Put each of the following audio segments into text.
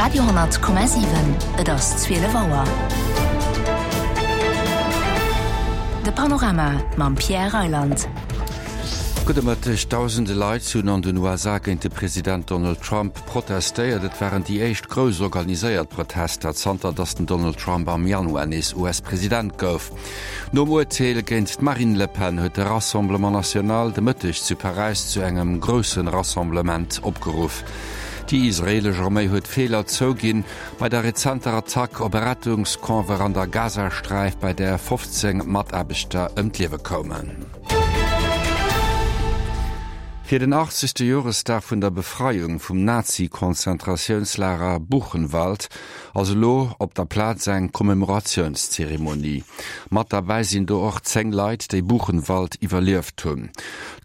Radio,7 Et ass 12 Auer. De Panorama mam Pierre Reyland. Gudde Mëtteg. Dausende Leit hunn an den USA géint de President Donald Trump protestéiert. Et waren déi éischt grouss organiséiert Protester, zanter datt den Donald Trump am Januar nees US-President gouf. Nom Urteel géint d'Marine Le Pen huet de Rassemblement National de Mëtteg zu Paräis zu engem grousse Rassemblement opgeruff. Déi israeelesch Arméi huet Feeler zouginn bei der rezenter Attack op e Rettungsconvoi an der Gazasträif, bei där 15 Mataarbechter ëm d'Liewe koumen. Fir den 80. Joresdag vun der Befreiung vum Nazi-Konzentratiounslager Buchenwald ass elo op der Plaz eng Commemoratiounszeremonie. Mat derbäi sinn do och 10 Leit, déi Buchenwald iwwerlieft hunn.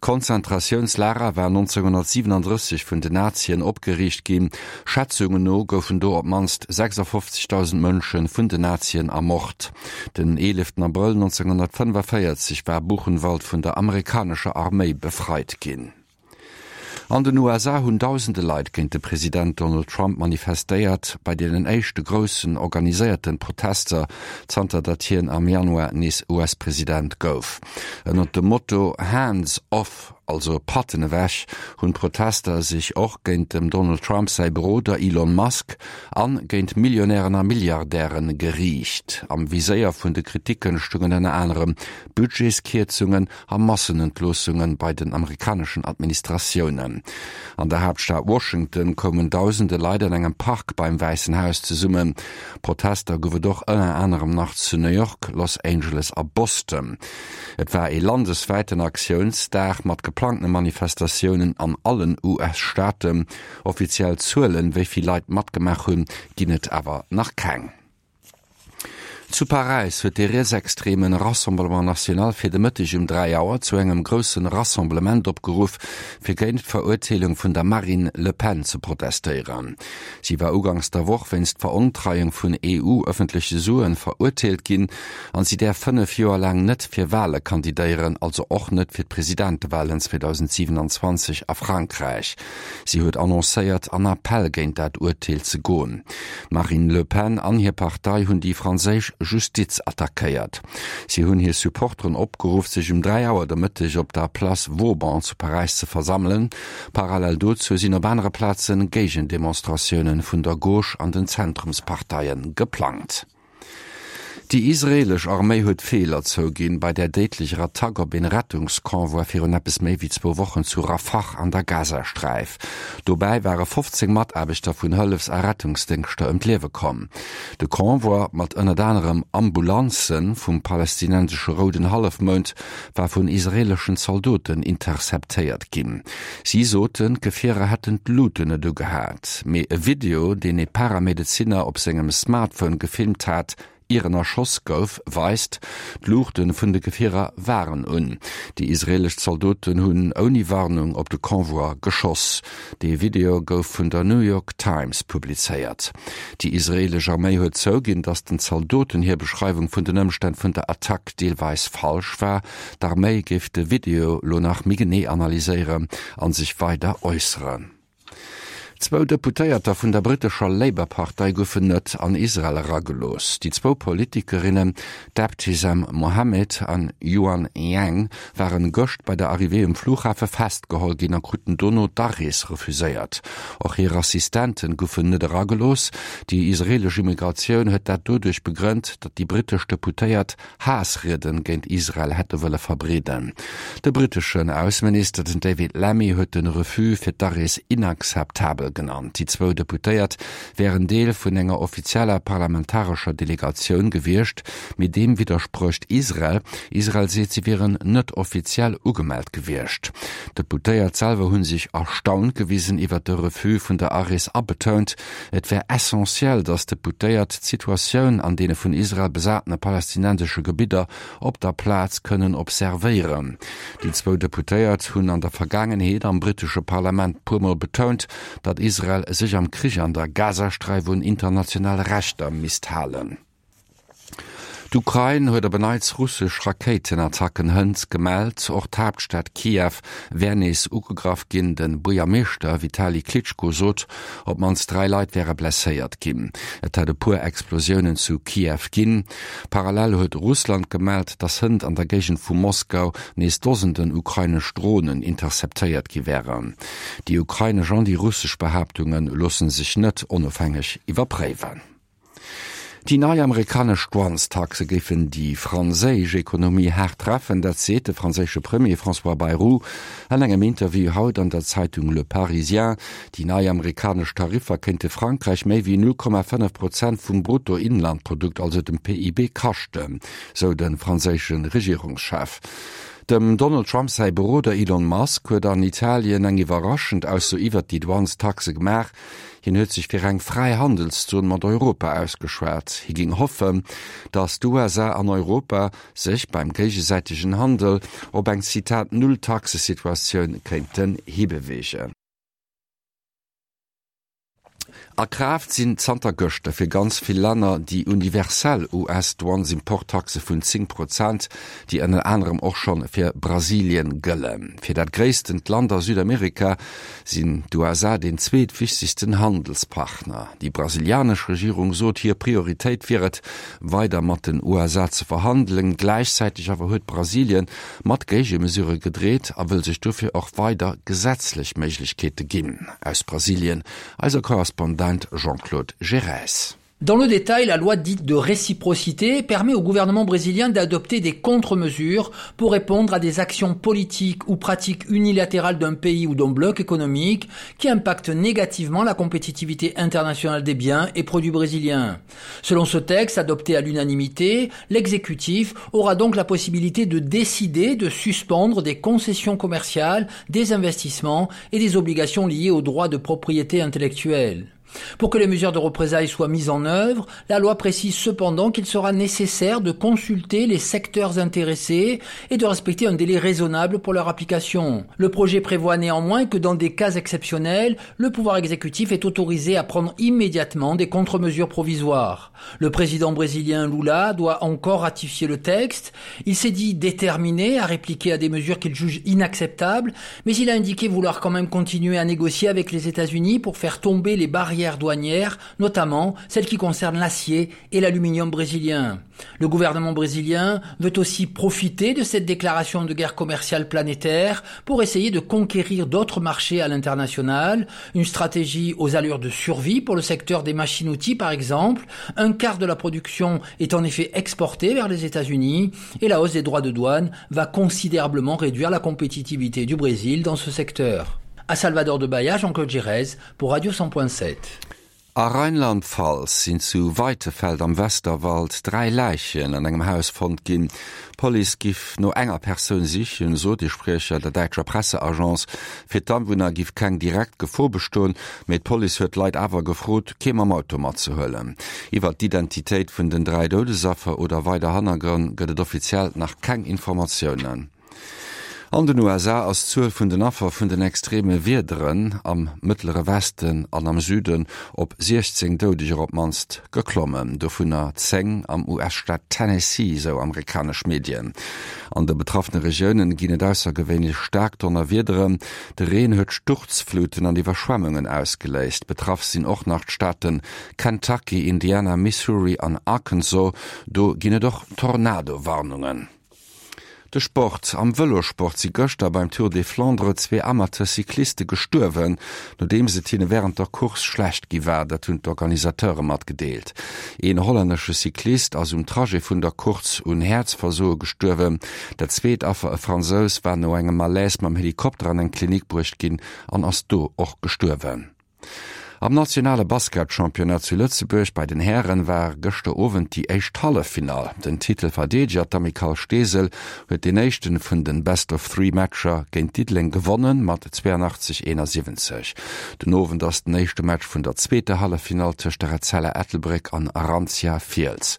D'Konzentratiounslager war 1937 vun den Nazien opgeriicht ginn. Schätzungen no goufen do op d'mannst 56.000 Mënsche vun den Nazien ermort. Den 11 Abrëll 1945 war Buchenwald vun der amerikanescher Arméi befreit ginn. An den USA hunn dausende Leit géint de President Donald Trump manifestéiert, bei deenen éischte groussen organiséierten Protester, zanter datt hien am Januar nees US-President gouf. Ënnert dem Motto Hands off, also Patten ewech, hunn d'Protester sech och géint dem Donald Trump säi Beroder Elon Musk an géint Millionären a Milliardären geriicht. Am Viséier vun de Kriticken stungen ënner anerem Budgetskierzungen a Massenentloossunge bei den amerikaneschen Administratiounen. An der Haaptstad Washington koumen dausende Leit an engem Park beim Wäissen Haus zesummen. Protester gouf et och ënner anerem nach zu New York, Los Angeles a Boston. Et war ee landeswäiten Aktiounsdag mat geplangtene Manifestatiounen an allen US-Staaten. Offiziell Zuelen, wéi vill Leit matgemaach hunn, ginn et awer nach keng. Zu Paräis huet de rietsextremen Rassemblement National fir de Mëtteg um 3 Auer zu engem groussen Rassemblement opgeruff, fir géint d'Verurteelung vun der Marine Le Pen ze protestéieren. Si war uganks der Woch wéinst Verontreiung vun EU-ëffentleche Suen verurteelt ginn an si däerf 5 Joer laang net fir Wale kandidéieren, also och net fir d'Presidentewalen 2027 a Frankräich. Si huet annoncéiert, an Appell géint dat Urteel ze goen. D'Marine Le Pen an hir Partei hunn déi franséisch Justiz attackéiert. Si hunn hir Supporteren opgeruff, sech um 3 Auer de Mëtteg op der Place Vauban zu Paräis ze versammelen. Parallel dozou sinn op anere Plaze Géigendemonstratioune vun der Gauche an den Zentrumsparteie geplangt. Déi israeelesch Arméi huet Feeler zouginn bei der déidlecher Attack op een Rettungsconvoi virun eppes méi wéi zwou Wochen zu Rafah an der Gazasträif. Dobäi ware 15 Mataarbechter vun Hëllefs a Rettungsdéngschter ëm d'Liewe komm. De Convoi, mat ënnert anerem Ambulanze vum palästinensesche Rouden Hallefmount, war vun israeeleschen Zaldoten interceptéiert ginn. Si soten, d'Gefierer hätten d'Luuten net ugehat. Mee e Video, deen ee Paramedezinner op sengem Smartphone gefilmt hat, ier en erschoss gouf, weist, d'Luuchte vun de Gefierer waren un. Déi israeelesch Zaldoten hunn ouni Warnung op de Convoi geschoss. Dee Video gouf vun der New York Times publizéiert. Déi israeelesch Arméi huet zouginn, datt den Zaldoten hir Beschreiwung vun den Ëmstänn vun der Attack deelweis falsch war. D'Arméi géif de Video lo nach méi genee analyséieren a sech weider äusseren. Zwou Deputéierter vun der brittescher Labour-Partei goufen net an Israel eragelooss. Déi zwou Politikerinnen D'Ebtisam Mohamed an Yuan Yang waren gëscht bei der Arrivée um Flughafe festgeholl ginn a kruten dono d'Arees refuséiert. Och hir Assistenten goufen net eragelooss. Déi israelesch Immigratioun huet dat doduerch begrënnt, datt déi brittesch Deputéiert Haassrieden géint Israel hätte wëlle verbreeden. De britteschen Ausseminister, den David Lammy, huet de Refus fir d'Arees inakzeptabel genannt. Déi zwou Deputéiert wären Deel vun enger offizieller parlamentarescher Delegatioun gewiescht, mee deem widdersprécht Israel. Israel seet, si wieren net offiziell ugemellt gewiescht. D'Deputéiert selwer hu sech erstaunt gewisen iwwer de Refus vun der Arees a betount, et wär essentiell, datt d'Deputéiert d'Situatioun an deene vun Israel besatene palästinensesche Gebidder op der Plaz kënnen observéieren. Déi zwou Deputéiert hunn an der Vergaangenheet am brittesche Parlament puermol betount, datt Israel sech am Krich an der Gazasträif un international Rechter misst halen. D'Ukrain huet op en Neits russesch Rakéitenattacken hënt gemellt. Och d'Haaptstad Kiew wär nees ugegraff ginn. De Buergermeeschter Vitali Klitschko sot, op d'mannst 3 Leit wäre blesséiert ginn. Et hätt e puer Explosiounen zu Kiew ginn. Parallel huet Russland gemellt, datt hënt an der Géigend vu Moskau nees Dosenden ukrainesch Dronen interceptéiert gi wären. Déi ukrainesch an déi russesch Behaaptunge loosse sech net onofhängeg iwwerpréiwen. Déi nei amerikanesch Douanestaxe géifen déi franséisch Ekonomie haart treffen, dat seet de franséische Premier François Bayrou an engem Interview haut an der Zeitung Le Parisien. Déi nei amerikanesch Tariffer kéinte Frankräich méi wéi 0,5 Prozent vum Bruttoinlandprodukt, also dem PIB, kaschten, sou de franséische Regierungschef. Dem Donald Trump säi Beroder Elon Musk huet an Italien eng iwwerraschend Ausso iwwert déi Douanestaxe gemaach. Hien huet sech fir eng fräi Handelszon mat Europa ausgeschwat. Hie géing hoffen, datt d'USA an Europa sech beim géigesäitegen Handel op eng, Zitat, Null-Taxe-Situatioun kéinten hibeweegen. A Kraaft sinn zanter gëschter fir ganz vill Länner déi universell US-Douanesimporttaxe vun 10 Prozent, déi ënner anerem och schonn fir Brasilien gëllen. Fir dat gréisstent Land a Südamerika sinn d'USA deen zweetwichtegsten Handelspartner. Déi brasilianesch Regierung sot, hir Prioritéit wier et, weider mat den USA ze verhandelen. Gläichzäiteg awer huet Brasilien mat Géigemesure gedreet a wëll sech dofir och weider gesetzlech Méiglechkeete ginn. Aus Brasilien eiser Korrespondent Jean-Claude Gerez. Dans le détail, la loi dite de réciprocité permet au gouvernement brésilien d'adopter des contre-mesures pour répondre à des actions politiques ou pratiques unilatérales d'un pays ou d'un bloc économique qui impactent négativement la compétitivité internationale des biens et produits brésiliens. Selon ce texte adopté à l'unanimité, l'exécutif aura donc la possibilité de décider de suspendre des concessions commerciales, des investissements et des obligations liées aux droits de propriété intellectuelle. Pour que les mesures de représailles soient mises en œuvre, la loi précise cependant qu'il sera nécessaire de consulter les secteurs intéressés et de respecter un délai raisonnable pour leur application. Le projet prévoit néanmoins que dans des cas exceptionnels, le pouvoir exécutif est autorisé à prendre immédiatement des contre-mesures provisoires. Le président brésilien Lula doit encore ratifier le texte. Il s'est dit déterminé à répliquer à des mesures qu'il juge inacceptables, mais il a indiqué vouloir quand même continuer à négocier avec les États-Unis pour faire tomber les barrières douanières, notamment celles qui concernent l'acier et l'aluminium brésilien. Le gouvernement brésilien veut aussi profiter de cette déclaration de guerre commerciale planétaire pour essayer de conquérir d'autres marchés à l'international, une stratégie aux allures de survie pour le secteur des machines-outils par exemple. Un quart de la production est en effet exportée vers les États-Unis et la hausse des droits de douane va considérablement réduire la compétitivité du Brésil dans ce secteur. À Salvador de Bahia, Jean-Claude Girez pour Radio 100.7. A Rheinland-Pfalz sinn zu Weitefeld am Westerwald 3 Läichen an engem Haus fonnt ginn. D'Police giff no enger Persoun sichen, sot ee Spriecher der däitscher Presseagence. Fir d'Awunner giff keng direkt Gefor bestoen, mee d'Police huet d'Leit awer gefrot, kee mam Auto matzehuelen. Iwwert d'Identitéit vun den 3 Doudesaffer oder weider Hannergrënn gëtt et offiziell nach keng Informatiounen. An den USA ass d'Zuel vun den Affer vun den extreme Wiederen am Mëttlere Westen an am Süden op 16 Doudeger op d'mannst geklommen, dovunner 10 am US-Staat Tennessee, sou amerikanesch Medien. An de betraffene Regiounen ginn et aussergewéinlech staark Donnerwiederen. De Reen huet Sturzfluten an Iwwerschwemmungen ausgeléist. Betraff sinn och nach d'Staate Kentucky, Indiana, Missouri an Arkansas. Do ginn et och Tornado-Warnungen. De Sport, Am Vëlosport si gëschter beim Tour des Flandres zwee Amateur-Cycliste gestuerwen, nodeems et hinne wärend der Course schlecht gi war. Dat hunn d'Organisateure matgedeelt. Een hollännesche Cyclist ass um Trajet vun der Course un Häerzversoe gestuerwen. Dat zweet Affer, e Fransous, war no engem Malaise mam Helikopter an eng Klinik bruecht ginn an ass do och gestuerwen. Am nationale Basketchampionnat zu Lëtzebuerg bei den Hären war gëschter Owend déi éischt Halleffinall. Den Titelverdeedeger, d'Amicale Steesel, huet deen éischten vun den Best-of-Three-Matcher géint Diddeleng gewonnen mat 82, 71. Den Owend ass den éischte Match vun der zweeter Halleffinall tëscht der Etzella Ettelbréck an Arantia Fiels.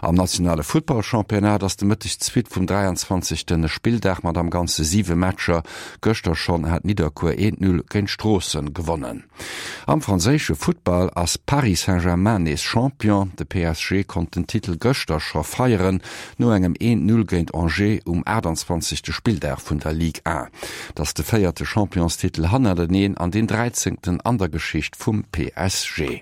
Am nationale Futtballchampionnat ass de Mëtteg d'Suite vum 23. Spilldag mat am Ganze 7 Matcher. Gëschter schonn hat Nidderkuer 1, 0 géint Stroossen gewonnen. Am. franséische Futtball ass Paris Saint-Germain nees Champion. De PSG konnt den Titel gëschter scho feieren, no engem 1, 0 géint Angers um 28. Spilldag vun der Ligue 1. Et ass de véierte Championstitel hannerteneen an deen dräizéngten an der Geschicht vum PSG.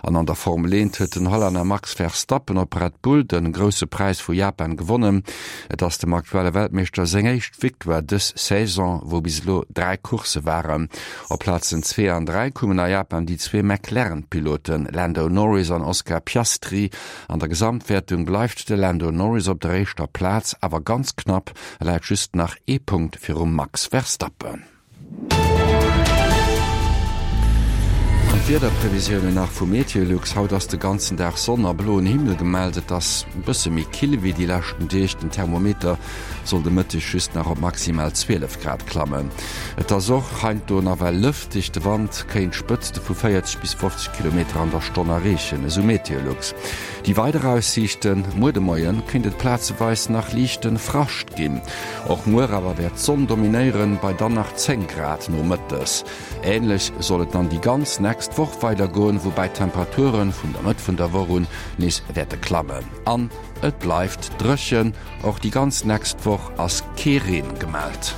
An an der Formel 1 huet den Hollänner Max Verstappen op Red Bull de Grousse Präis vu Japan gewonnen. Et ass dem aktuelle Weltmeeschter seng éischt Victoire dës Saison, wou bis elo 3 Coursse waren. Op Plazen 2 an 3 koumen a Japan déi zwee McLaren-Piloten Lando Norris an Oscar Piastri. An der Gesamtwäertung bleift de Lando Norris op der éischter Plaz, awer ganz knapp, e läit just nach ee Punkt virum Max Verstappen. An d'Wiederprevisiounen nach vu Meteolux, Haut ass de ganzen Dag Sonn a bloen Himmel gemellt. Et ass e bësse méi kill wéi déi leschten Deeg, den Thermometer soll de Mëtteg just nach op maximal 12 Grad klammen. Et ass och heiansdo nawell lëfteg, de Wand kéint Spëtzte vu 40 bis 50 Kilometer an der Stonn erreechen, esou Meteolux. Déi weider Aussiichten, Muer de Moie kéint et plazeweis nach liichte Frascht ginn. Och muer awer wäert d'Sonn dominéieren, bei dann nach 10 Grad nomëttes. Änlech soll et dann déi ganz nächst Woch weidergoen, woubäi d'Temperature vun der Mëtt vun der Woch un nees wäerte klammen. An et bleift dréchen, och déi ganz nächst Woch ass kee Reen gemellt.